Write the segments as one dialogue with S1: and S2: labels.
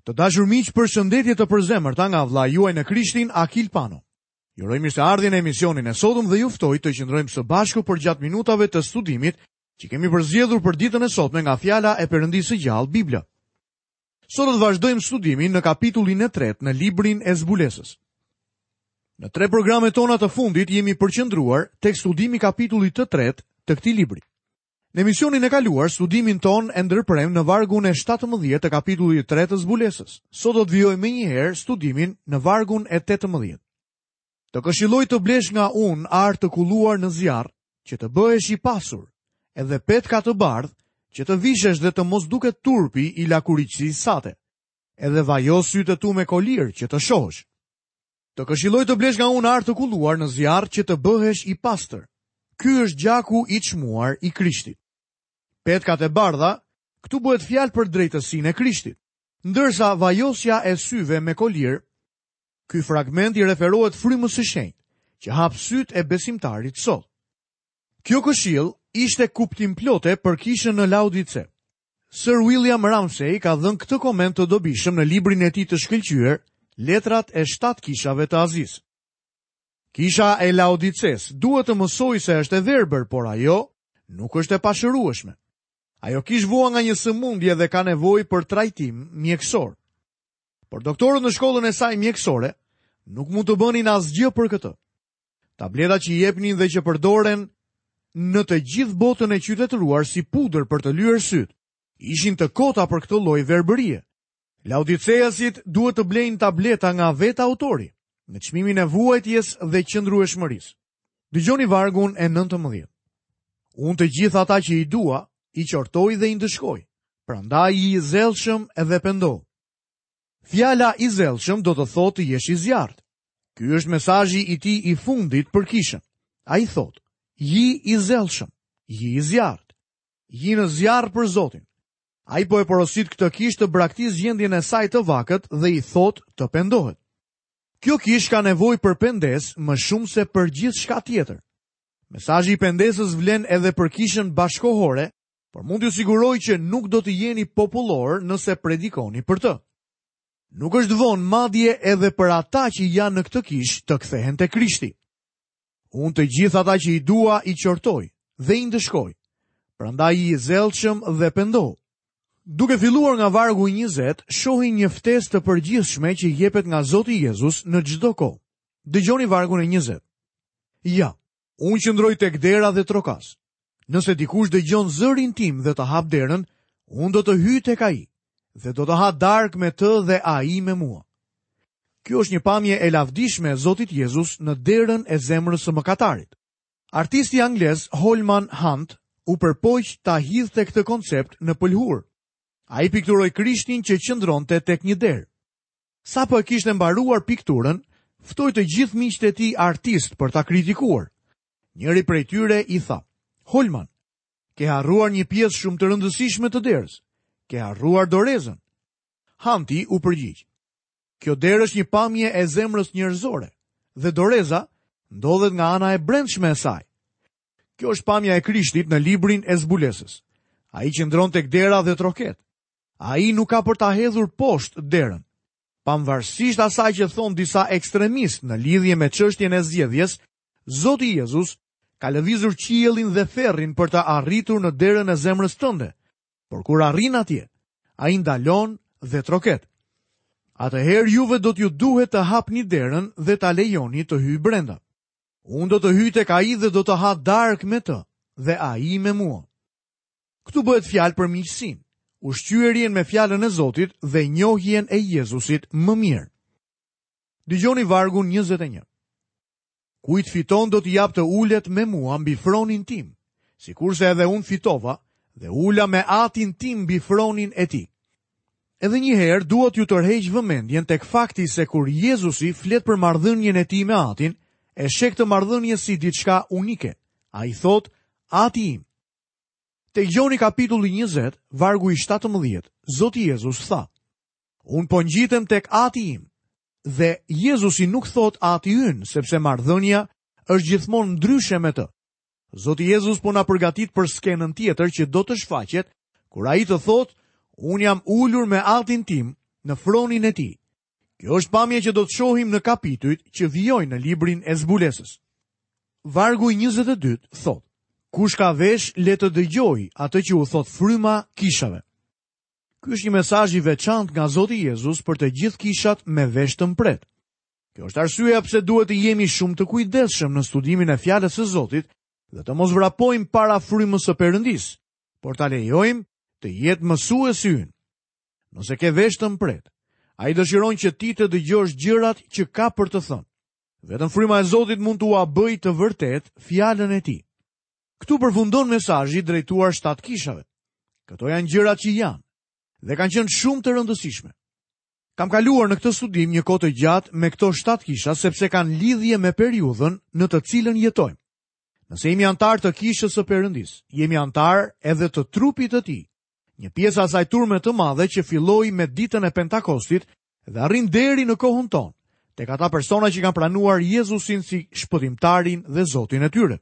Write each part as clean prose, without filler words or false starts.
S1: Të dashur miq, përshëndetje të përzemërta nga vëllai juaj në Krishtin, Akil Pano. Ju uroj mirëseardhjen në emisionin e sotëm dhe ju ftoj të qëndrojmë së bashku përgjatë minutave të studimit që kemi përzgjedhur për ditën e sotme nga fjala e Perëndisë së gjallë, Bibla. Sot do të vazhdojmë studimin në kapitullin e tretë në librin e Zbulesës. Në tre programet tona të fundit jemi përqendruar tek studimi i kapitullit të tretë të këtij libri. Në emisionin e kaluar, studimin tonë e ndërpremë në vargun e 17 të kapitullit 3 të Zbulesës. Sot do të vijojmë menjëherë studimin në vargun e 18. Të këshilloj të blesh nga unë ar të kulluar në zjarr, që të bëhesh i pasur, edhe petka të bardhë, që të vishesh dhe të mos duket turpi i lakuriqësisë sate. Edhe vajo sytë e tu me kolir që të shohësh. Të këshilloj të blesh nga unë ar të kulluar në zjarr që të bëhesh i pastër. Ky është gjaku i çmuar i Krishtit. Petkat e bardha, këtu bëhet fjalë për drejtësinë e Krishtit. Ndërsa vajosja e syve me kolir, ky fragment i referohet frymës së shenjtë, që hap sytë e besimtarit sot. Kjo këshillë ishte kuptimplote për kishën në Laodice. Sir William Ramsay ka dhënë këtë koment të dobishëm në librin e tij të shkëlqyer, Letrat e shtatë kishave të Azisë. Kisha e Laodicesë duhet të mësojë se është e verbër, por ajo nuk është e pashërueshme. Ajo kishë vuan nga një sëmundje dhe ka nevojë për trajtim mjekësor. Por doktorët në shkollën e saj mjekësore nuk mund të bënin asgjë për këtë. Tabletat që jepnin dhe që përdoren në të gjithë botën e qytetëruar si pudër për të lyer sytë, ishin të kota për këtë lloj verbërie. Laodiceasit duhet të blejnë tableta nga vetë autori, me çmimin e vuajtjes dhe qëndrueshmërisë. Dëgjoni vargun e 19. Unë të gjithë ata që i dua, i qortoj dhe i ndëshkoj. Prandaj ji i zellshëm edhe pendohu. Fjala i zellshëm do të thotë të jesh i zjarrtë. Ky është mesazhi i tij i fundit për kishën. Ai thotë, ji i zellshëm, ji i zjarrtë, ji në zjarr për Zotin. Ai po e porosit këtë kishë të braktisë gjendjen e saj të vakët dhe i thotë të pendohet. Kjo kishë ka nevojë për pendesë më shumë se për gjithçka tjetër. Mesazhi i pendesës vlen edhe për kishën bashkëkohore por mund t'ju siguroj që nuk do të jeni popullorë nëse predikoni për të. Nuk është vonë madje edhe për ata që janë në këtë kishë të kthehen te Krishti. Unë të gjithë ata që i dua i qortoj dhe i ndëshkoj. Prandaj ji i zellshëm dhe pendohu. Duke filluar nga vargu 20, shohim një ftesë të përgjithshme që jepet nga Zoti Jezus në çdo kohë. Dëgjoni vargun e 20. Ja, Unë qëndroj tek dera dhe trokas. Nëse dikush dëgjon zërin tim dhe të hapë derën, unë do të hyj tek ai dhe do të ha darkë me të dhe ai me mua. Kjo është një pamje e lavdishme e Zotit Jezus në derën e zemrës së mëkatarit. Artisti anglez Holman Hunt u përpoq ta hidhte këtë koncept në pëlhurë. Ai pikturoi Krishtin që qëndronte tek një derë. Sapo e kishte mbaruar pikturën, ftoi të gjithë miqtë e tij artistë për ta kritikuar. Njëri prej tyre i tha, Holman, ke harruar një pjesë shumë të rëndësishme të derës. Ke harruar dorezën. Hanti u përgjigj. Kjo derë është një pamje e zemrës njerëzore dhe doreza ndodhet nga ana e brendshme e saj. Kjo është pamja e Krishtit në librin e zbulesës. Ai qëndron tek dera dhe troket. Ai nuk ka për ta hedhur poshtë derën. Pavarësisht asaj që thonë disa ekstremistë në lidhje me çështjen e zgjedhjes, Zoti Jezus ka lëvizur qiellin dhe ferrin për të arritur në derën e zemrës tënde. Por kur arrin atje, ai ndalon dhe troket. Atëherë juve do t'ju duhet të hapni derën dhe ta lejoni të hyjë brenda. Unë do të hyj tek ai dhe do të ha darkë me të dhe ai me mua. Këtu bëhet fjalë për miqësinë, ushqyerjen me fjalën e Zotit dhe njohjen e Jezusit më mirë. Dëgjoni vargun 21. Kujt fiton do t'i jap të ulet me mua mbi fronin tim, sikurse edhe unë fitova dhe u ula me atin tim mbi fronin e tij. Edhe një herë dua t'ju tërheq vëmendjen tek fakti se kur Jezusi flet për marrëdhënien e tij me atin, e sheh këtë marrëdhënie si diçka unike. Ai thotë, Ati im. Te Gjoni kapitulli 20, vargu i 17, Zoti Jezus tha, Unë po ngjitem tek ati im. Dhe Jezusi nuk thotë ati ynë, sepse marrëdhënia është gjithmonë ndryshe me të. Zoti Jezus po na përgatit për skenën tjetër që do të shfaqet, kur ai të thotë, unë jam ulur me atin tim në fronin e tij. Kjo është pamja që do të shohim në kapitujt që vijojnë në librin e zbulesës. Vargu i 22 thotë: Kush ka vesh le të dëgjojë atë që u thotë fryma kishave. Ky është një mesazh i veçantë nga Zoti Jezus për të gjithë kishat me vesh të mprehtë. Kjo është arsyeja pse duhet të jemi shumë të kujdesshëm në studimin e fjalës së Zotit dhe të mos vrapojmë para frymës së Perëndisë, por ta lejojmë të jetë mësuesi ynë. Nëse ke vesh të mprehtë, ai dëshiron që ti të dëgjosh gjërat që ka për të thënë. Vetëm fryma e Zotit mund t'ua bëjë të vërtetë fjalën e tij. Këtu përfundon mesazhi drejtuar shtatë kishave. Këto janë gjërat që janë dhe kanë qenë shumë të rëndësishme. Kam kaluar në këtë studim një kohë të gjatë me këto shtatë kisha sepse kanë lidhje me periudhën në të cilën jetojmë. Nëse jemi anëtarë të kishës së Perëndisë, jemi anëtarë edhe të trupit të tij. Një pjesë e asaj turme të madhe që filloi me ditën e Pentakostit dhe arrin deri në kohën tonë, tek ata persona që kanë pranuar Jezusin si shpëtimtarin dhe Zotin e tyre.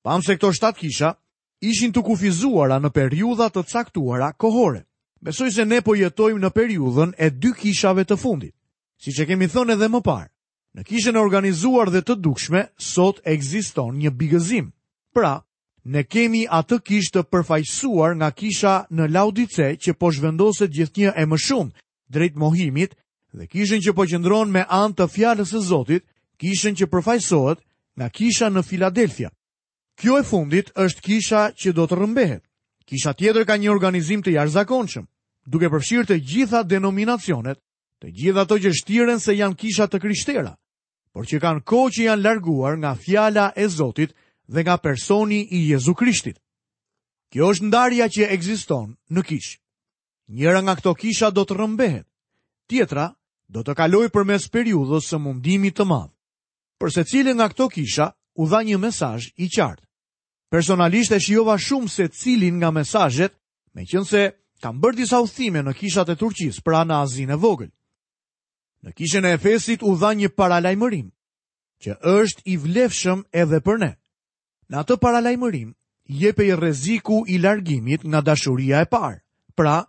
S1: Pamë se këto shtatë kisha ishin të kufizuara në periudha të caktuara kohore. Besoj se ne po jetojmë në periudhën e dy kishave të fundit. Siç e kemi thënë edhe më parë, në kishën e organizuar dhe të dukshme sot ekziston një bigëzim. Pra, ne kemi atë kishë të përfaqësuar nga kisha në Laodice që po zhvendoset gjithnjë e më shumë drejt mohimit dhe kishën që po qëndron me anë të fjalës së Zotit, kishën që përfaqësohet nga kisha në Filadelfia. Kjo e fundit është kisha që do të rrëmbehet. Kisha tjetër ka një organizim të jashtëzakonshëm, duke përfshirë të gjitha denominacionet, të gjitha ato që shtiren se janë kisha të krishtera, por që kanë kohë që janë larguar nga fjala e Zotit dhe nga personi i Jezu Krishtit. Kjo është ndarja që ekziston në kishë. Njëra nga këto kisha do të rrëmbehet, tjetra do të kalojë përmes periudhës së mundimit të madh. Për secilën nga këto kisha u dha një mesazh i qartë. Personalisht e shijova shumë secilin nga mesazhet, meqenëse kam bërë disa udhëtime në kishat e Turqisë, pra në Azinë e Vogël. Në kishën e Efesit u dha një paralajmërim, që është i vlefshëm edhe për ne. Në atë paralajmërim jepej rreziku i largimit nga dashuria e parë, pra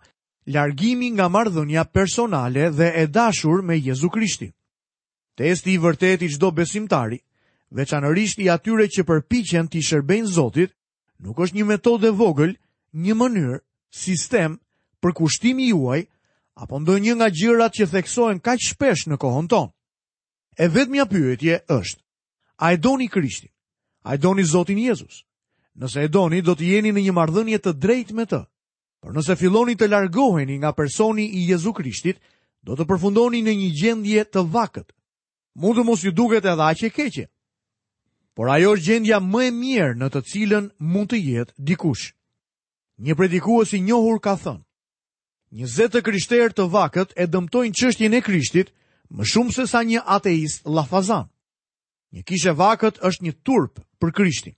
S1: largimi nga marrëdhënia personale dhe e dashur me Jezu Krishtin. Testi i vërtetë i çdo besimtari, veçanërisht i atyre që përpiqen t'i shërbejnë Zotit, nuk është një metodë e vogël, një mënyrë, sistem, përkushtimi juaj apo ndonjë nga gjërat që theksohen kaq shpesh në kohën tonë. E vetmja pyetje është: A e doni Krishtin? A e doni Zotin Jezus? Nëse e doni, do të jeni në një marrëdhënie të drejtë me të. Por nëse filloni të largoheni nga personi i Jezu Krishtit, do të përfundoni në një gjendje të vakët. Mund të mos ju duket edhe aq e keqe. Por ajo është gjendja më e mjerë në të cilën mund të jetë dikush. Një predikues i njohur ka thënë: 20 të krishterë të vakët e dëmtojnë çështjen e Krishtit më shumë sesa një ateist llafazan. Një kishë e vakët është një turp për Krishtin.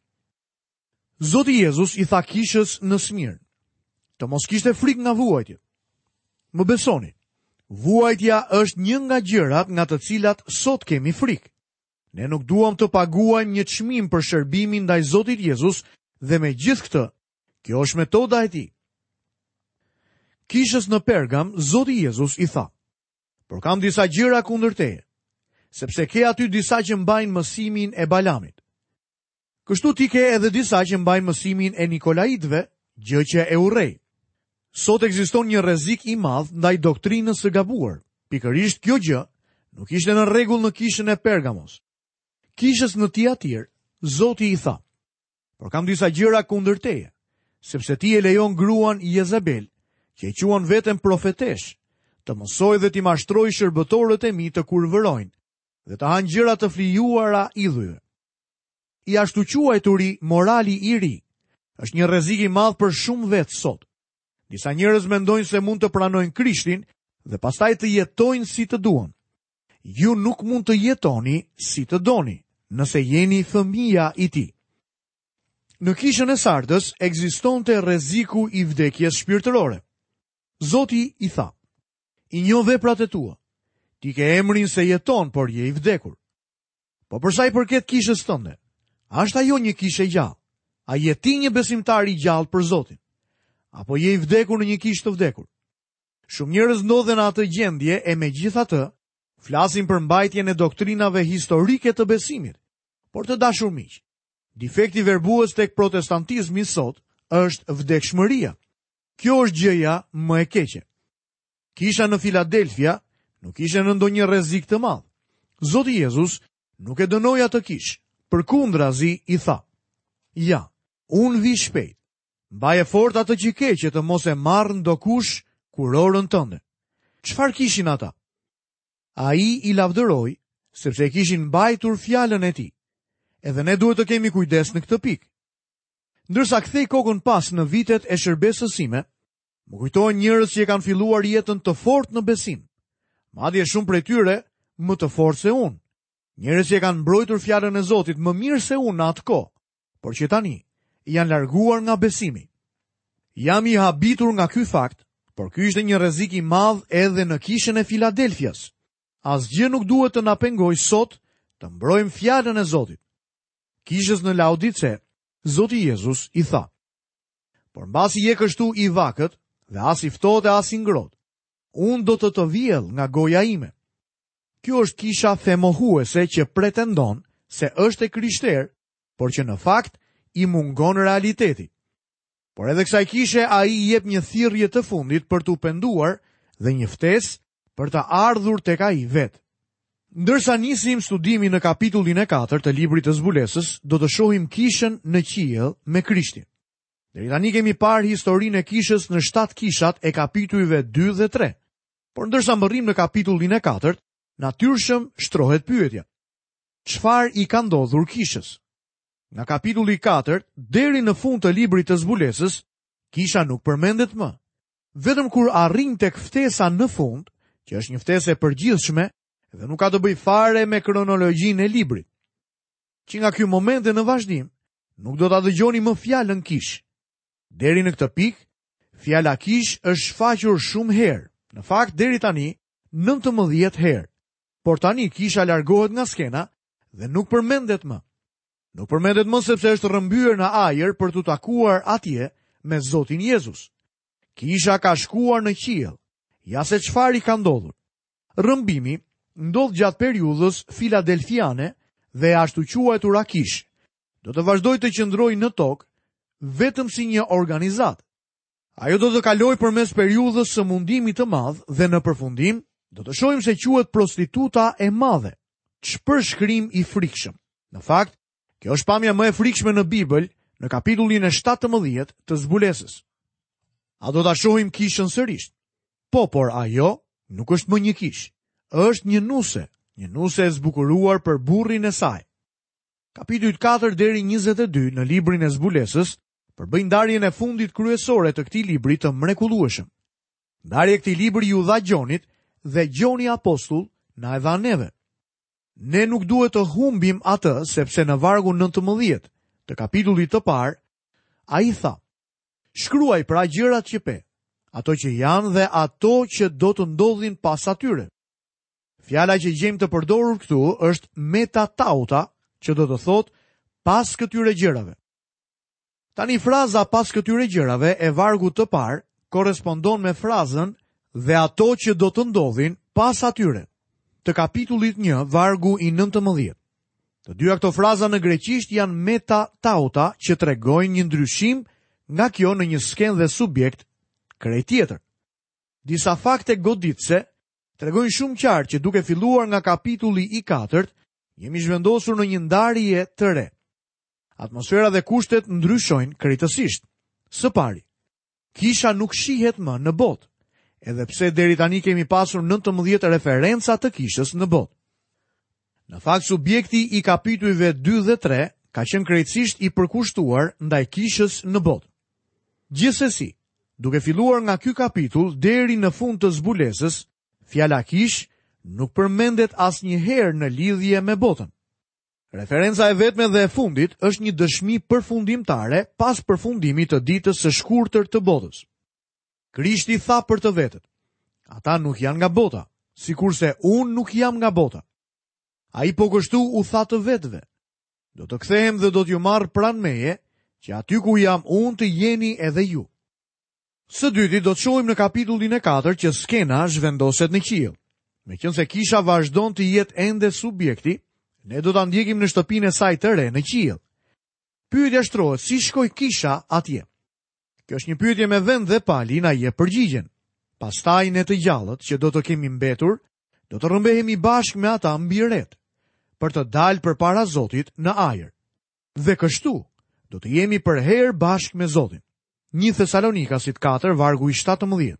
S1: Zoti Jezus i tha kishës në Smirnë, të mos kishte frikë nga vuajtjet. Më besoni, vuajtja është një nga gjërat nga të cilat sot kemi frikë. Ne nuk duam të paguajmë një çmim për shërbimin ndaj Zotit Jezus dhe megjithëkëtë, kjo është metoda e tij. Kishës në Pergam, Zoti Jezus i tha, Por kam disa gjëra kundër teje, sepse ke aty disa që mbajnë mësimin e Balamit. Kështu ti ke edhe disa që mbajnë mësimin e Nikolaitëve, gjë që e urrej. Sot ekziston një rrezik i madh ndaj doktrinës së gabuar. Pikërisht kjo gjë nuk ishte në rregull në kishën e Pergamos. Kishës në Tiatir, Zoti i tha: Por kam disa gjëra kundër teje, sepse ti e lejon gruan Jezabel, që e quan veten profeteshë, të mësojë dhe t'i mashtrojë shërbëtorët e mi të kurvërojnë dhe të hanë gjëra të flijuara idhujve. I ashtuquajturi morali i ri është një rrezik i madh për shumë vetë sot. Disa njerëz mendojnë se mund të pranojnë Krishtin dhe pastaj të jetojnë si të duan. Ju nuk mund të jetoni si të doni, nëse jeni fëmija i tij. Në kishën e Sardës ekzistonte rreziku i vdekjes shpirtërore. Zoti i tha: I njoh veprat e tua. Ti ke emrin se jeton, por je i vdekur. Po për sa i përket kishës tënde, a është ajo një kishë e gjallë? A je ti një besimtar i gjallë për Zotin? Apo je i vdekur në një kishë të vdekur? Shumë njerëz ndodhen në atë gjendje e megjithatë, flasin për mbajtjen e doktrinave historike të besimit. Por të dashur miq, defekti verbues tek protestantizmi sot është vdekshmëria. Kjo është gjëja më e keqe. Kisha në Filadelfia nuk ishte në ndonjë rrezik të madh. Zoti Jezus nuk e dënoi atë kishë, përkundrazi i tha: Ja, unë vij shpejt. Mbaje fort atë që ke që të mos e marrë ndokush kurorën tënde. Çfarë kishin ata? Ai i lavdëroi, sepse e kishin mbajtur fjalën e tij. Edhe ne duhet të kemi kujdes në këtë pikë. Ndërsa kthej kokën pas në vitet e shërbesës sime, më kujtohen njerëz që e kanë filluar jetën të fortë në besim. Madje shumë prej tyre më të fortë se unë. Njerëz që e kanë mbrojtur fjalën e Zotit më mirë se unë në atë kohë, por që tani janë larguar nga besimi. Jam i habitur nga ky fakt, por ky ishte një rrezik i madh edhe në kishën e Filadelfias. Asgjë nuk duhet të na pengojë sot të mbrojmë fjalën e Zotit. Kishës në Laodice, Zoti Jezus i tha: Por mbasi je kështu i vakët dhe as i ftohtë e as i ngrohtë, unë do të të vjell nga goja ime. Kjo është kisha femohuese që pretendon se është e krishterë, por që në fakt i mungon realiteti. Por edhe kësaj kishe ai i jep një thirrje të fundit për t'u penduar dhe një ftesë për të ardhur tek ai vetë. Ndërsa nisim studimin në kapitullin e 4 të librit të zbulesës, do të shohim kishën në qiell me Krishtin. Deri tani kemi parë historinë e kishës në 7 kishat e kapitujve 2 dhe 3. Por ndërsa mbërrijmë në kapitullin e 4, natyrshëm shtrohet pyetja. Çfarë i ka ndodhur kishës? Nga kapitulli 4 deri në fund të librit të zbulesës, kisha nuk përmendet më. Vetëm kur arrijmë tek ftesa në fund, që është një ftesë e përgjithshme dhe nuk ka të bëjë fare me kronologjinë e librit. Që nga ky moment e në vazhdim, nuk do ta dëgjoni më fjalën kishë. Deri në këtë pikë, fjala kishë është shfaqur shumë herë, në fakt deri tani 19 herë. Por tani kisha largohet nga skena dhe nuk përmendet më. Nuk përmendet më sepse është rrëmbyer në ajër për t'u takuar atje me Zotin Jezus. Kisha ka shkuar në qiell. Ja se çfarë i ka ndodhur. Rrëmbimi ndodh gjatë periudhës filadelfiane dhe e ashtuquajtura kishë. Do të vazhdojë të qëndrojë në tokë vetëm si një organizatë. Ajo do të kalojë përmes periudhës së mundimit të madh dhe në përfundim do të shohim se quhet prostituta e madhe. Ç'përshkrim i frikshëm. Në fakt, kjo është pamja më e frikshme në Bibël, në kapitullin e 17 të zbulesës. A do ta shohim kishën sërish? Po, por ajo nuk është më një kishë. Është një nuse, një nuse e zbukuruar për burrin e saj. Kapitujt 4 deri 22 në librin e zbulesës përbëjnë ndarjen e fundit kryesore të këtij libri të mrekullueshëm. Ndarja e këtij libri iu dha Gjonit dhe Gjoni apostull na e dha neve. Ne nuk duhet të humbim atë sepse në vargun 19 të kapitullit të parë ai tha: Shkruaj pra gjërat që pe, ato që janë dhe ato që do të ndodhin pas atyre. Fjala që gjejmë të përdorur këtu është meta tauta, që do të thotë pas këtyre gjërave. Tani fraza pas këtyre gjërave e vargut të parë korrespondon me frazën dhe ato që do të ndodhin pas atyre, të kapitullit 1, vargu i 19. Të dyja këto fraza në greqisht janë meta tauta që tregojnë një ndryshim nga kjo në një skenë dhe subjekt krejt tjetër. Disa fakte goditëse tregojnë shumë qartë që duke filluar nga kapitulli i katërt, jemi zhvendosur në një ndarje të re. Atmosfera dhe kushtet ndryshojnë krejtësisht. Së pari, kisha nuk shihet më në botë, edhe pse deri tani kemi pasur 19 referenca të kishës në botë. Në fakt, subjekti i kapitujve 2 dhe 3 ka qenë krejtësisht i përkushtuar ndaj kishës në botë. Gjithsesi, duke filluar nga ky kapitull deri në fund të zbulesës, fjala kishë nuk përmendet asnjëherë në lidhje me botën. Referenca e vetme dhe e fundit është një dëshmi përfundimtare pas përfundimit të ditës së shkurtër të botës. Krishti tha për të vetët, ata nuk janë nga bota, sikurse unë nuk jam nga bota. Ai po kështu u tha të vetëve, do të kthehem dhe do t'ju marr pranë meje, që aty ku jam unë të jeni edhe ju. Së dyti do të shohim në kapitullin e 4 që skena zhvendoset në qiell. Meqenëse kisha vazhdon të jetë ende subjekti, ne do ta ndjekim në shtëpinë e saj të re në qiell. Pyetja shtrohet, si shkoi kisha atje? Kjo është një pyetje me vend dhe Pali na jep përgjigjen. Pastaj ne të gjallët që do të kemi mbetur, do të rrëmbehemi bashkë me ata mbi retë, për të dalë përpara Zotit në ajër. Dhe kështu, do të jemi përherë bashkë me Zotin. 1 Thesalonikasit 4, vargu i 17.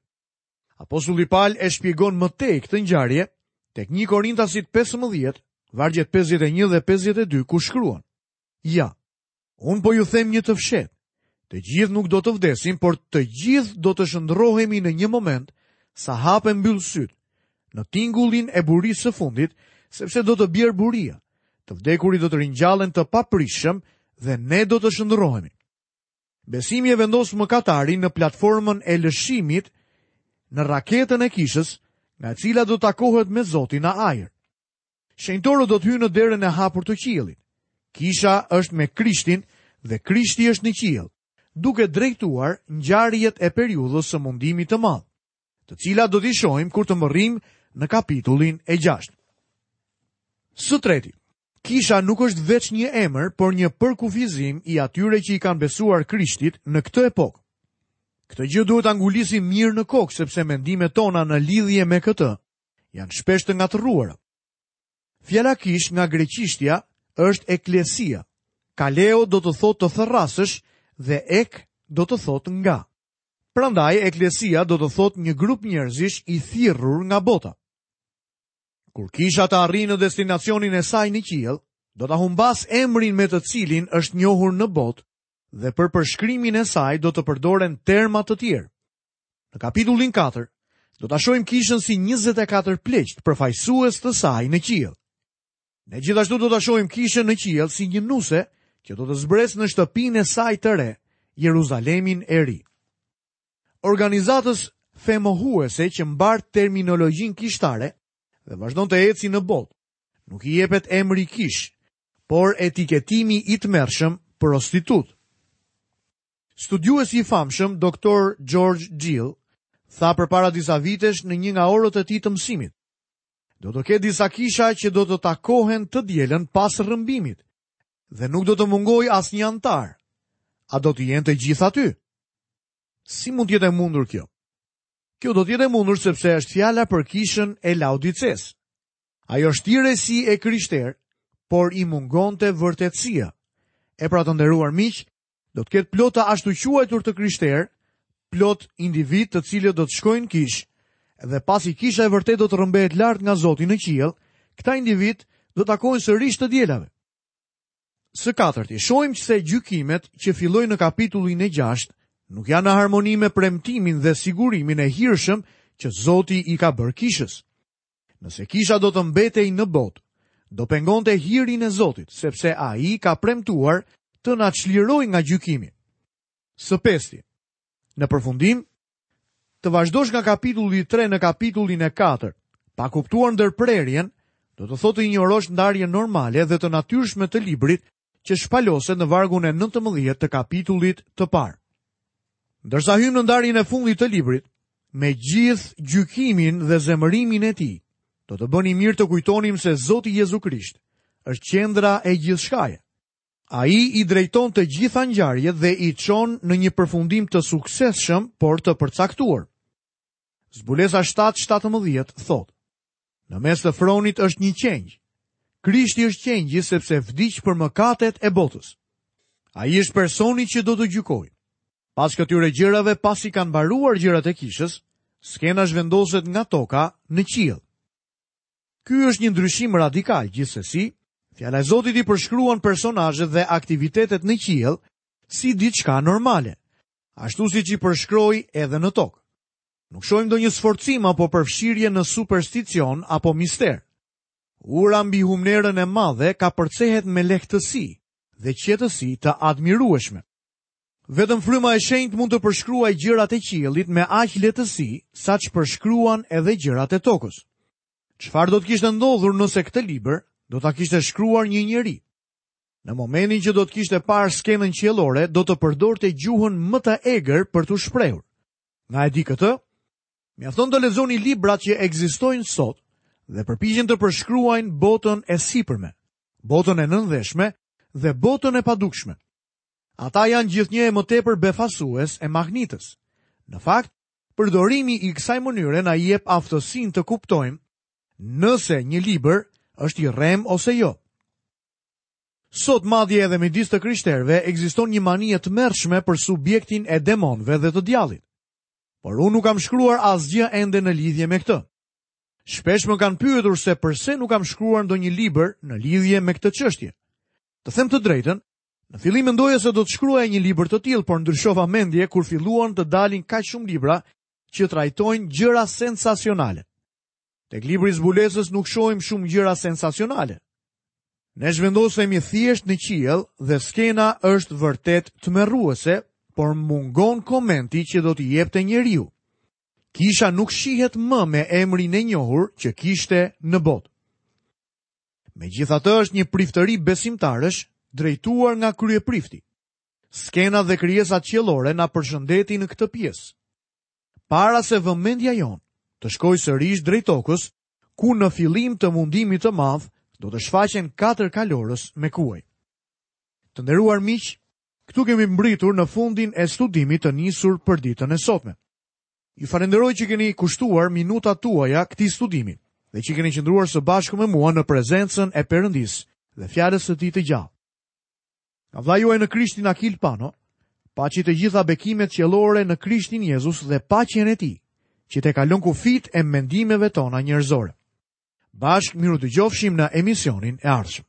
S1: Apostulli Pal e shpjegon më tej këtë ngjarje tek 1 Korintasit 15, vargjet 51 dhe 52 ku shkruan: Ja, Unë po ju them një të fshehtë. Të gjithë nuk do të vdesim, por të gjithë do të shndërrohemi në një moment, sa hap e mbyll sytë, në tingullin e burisë së fundit, sepse do të bjerë buria. Të vdekurit do të ringjallen të paprishshëm dhe ne do të shndërrohemi. Besimi e vendos mëkatarin në platformën e lëshimit në raketën e kishës, nga e cila do takohet me Zotin në ajër. Shenjtorët do të hyjnë në derën e hapur të qiellit. Kisha është me Krishtin dhe Krishti është në qiell, duke drejtuar ngjarjet e periudhës së mundimit të madh, të cilat do t'i shohim kur të mbërrijmë në kapitullin e 6. Së treti, kisha nuk është veç një emër, por një përkufizim i atyre që i kanë besuar Krishtit në këtë epokë. Këtë gjë duhet ta ngulisim mirë në kokë, sepse mendimet tona në lidhje me këtë janë shpesh të ngatërruara. Fjala kishë nga greqishtja është eklesia. Kaleo do të thotë të thërrasësh dhe ek do të thotë nga. Prandaj eklesia do të thotë një grup njerëzish i thirrur nga bota. Kur kisha të arrijë në destinacionin e saj në qiell, do ta humbasë emrin me të cilin është njohur në botë dhe për përshkrimin e saj do të përdoren terma të tjerë. Në kapitullin 4, do ta shohim kishën si 24 pleqtë përfaqësues të saj në qiell. Ne gjithashtu do ta shohim kishën në qiell si një nuse që do të zbresë në shtëpinë e saj të re, Jeruzalemin e Ri. Organizatës femohuese që mbart terminologjinë kishtare dhe vazhdon të eci në botë, nuk i jepet emri kishë, por etiketimi i tmerrshëm prostitutë. Studiuesi i famshëm Dr. George Gill tha përpara disa vitesh në një nga orët e tij të mësimit. Do të ketë disa kisha që do të takohen të dielën pas rrëmbimit dhe nuk do të mungojë asnjë anëtar. A do të jenë të gjithë aty? Si mund të jetë e mundur kjo? Kjo do të jetë e mundur sepse është fjala për kishën e Laodicesë. Ajo shtirej si e krishterë, por i mungonte vërtetësia. E pra të nderuar miq, Do të ketë plot të ashtuquajtur të krishterë, plot individë të cilët do të shkojnë në kishë, dhe pasi kisha e vërtetë do të rrëmbehet lart nga Zoti në qiell, këta individë do takohen sërish të dielave. Së katërti, shohim se gjykimet që fillojnë në kapitullin e 6 nuk janë në harmoni me premtimin dhe sigurimin e hirshëm që Zoti i ka bërë kishës. Nëse kisha do të mbetej në botë, do pengonte hirin e Zotit, sepse ai ka premtuar të na çlirojë nga gjykimi. Së pesti, në përfundim, të vazhdosh nga kapitulli 3 në kapitullin e 4, pa kuptuar ndërprerjen, do të thotë të injorosh ndarjen normale dhe të natyrshme të librit që shpaloset në vargun e 19 të kapitullit të parë. Ndërsa hyjmë në ndarjen e fundit të librit, me gjithë gjykimin dhe zemërimin e tij, do të bënim mirë të kujtonim se Zoti Jezu Krisht është qendra e gjithçkaje. Ai i drejton të gjitha ngjarjet dhe i çon në një përfundim të suksesshëm, por të përcaktuar. Zbulesa 7:17 thotë: Në mes të fronit është një qengj. Krishti është qengji sepse vdiq për mëkatet e botës. Ai është personi që do të gjykojë. Pas këtyre gjërave, pasi kanë mbaruar gjërat e kishës, skena zhvendoset nga toka në qiell. Ky është një ndryshim radikal, gjithsesi, fjala e Zotit i përshkruan personazhet dhe aktivitetet në qiell si diçka normale, ashtu siç i përshkroi edhe në tokë. Nuk shohim ndonjë sforcim apo përfshirje në supersticion apo mister. Ura mbi humnerën e madhe kapërcehet me lehtësi dhe qetësi të admirueshme. Vetëm fryma e shenjtë mund të përshkruajë gjërat e qiellit me aq lehtësi sa ç'përshkruan edhe gjërat e tokës. Çfarë do të kishte ndodhur nëse këtë libër do ta kishte shkruar një njeri? Në momentin që do të kishte parë skenën qiellore, do të përdorte gjuhën më të egër për t'u shprehur. Nga e di këtë? Mjafton të lexoni librat që ekzistojnë sot dhe përpiqen të përshkruajnë botën e sipërme, botën e nëndheshme dhe botën e padukshme. Ata janë gjithnjë e më tepër befasues e mahnitës. Në fakt, përdorimi i kësaj mënyre na jep aftësinë të kuptojmë nëse një libër është i rremë ose jo. Sot madje edhe midis të krishterëve ekziston një mani e tmerrshme për subjektin e demonëve dhe të djallit. Por unë nuk kam shkruar asgjë ende në lidhje me këtë. Shpesh më kanë pyetur se përse nuk kam shkruar ndonjë libër në lidhje me këtë çështje. Të them të drejtën, në fillim mendoja se do të shkruaja një libër të tillë, por ndryshova mendje kur filluan të dalin kaq shumë libra që trajtojnë gjëra sensacionale. Tek libri i zbulesës nuk shohim shumë gjëra sensacionale. Ne zhvendosemi thjesht në qiell dhe skena është vërtet tmerruese, por mungon komenti që do t'i jepte njeriu. Kisha nuk shihet më me emrin e njohur që kishte në botë. Megjithatë është një priftëri besimtarësh drejtuar nga kryeprifti. Skenat dhe krijesat qiellore na përshëndetin në këtë pjesë. Para se vëmendja jonë të shkojë sërish drejt tokës, ku në fillim të mundimit të madh do të shfaqen katër kalorës me kuaj. Të nderuar miq, këtu kemi mbërritur në fundin e studimit të nisur për ditën e sotme. Ju falenderoj që keni kushtuar minutat tuaja këtij studimi dhe që keni qëndruar së bashku me mua në prezencën e Perëndisë dhe fjalës së tij të gjallë. Nga vëllai juaj në Krishtin Akil Pano, paçi të gjitha bekimet qiellore në Krishtin Jezus dhe paqen e tij, që tejkalon kufijtë e mendimeve tona njerëzore. Bashkë mirudëgjofshim në emisionin e ardhshëm.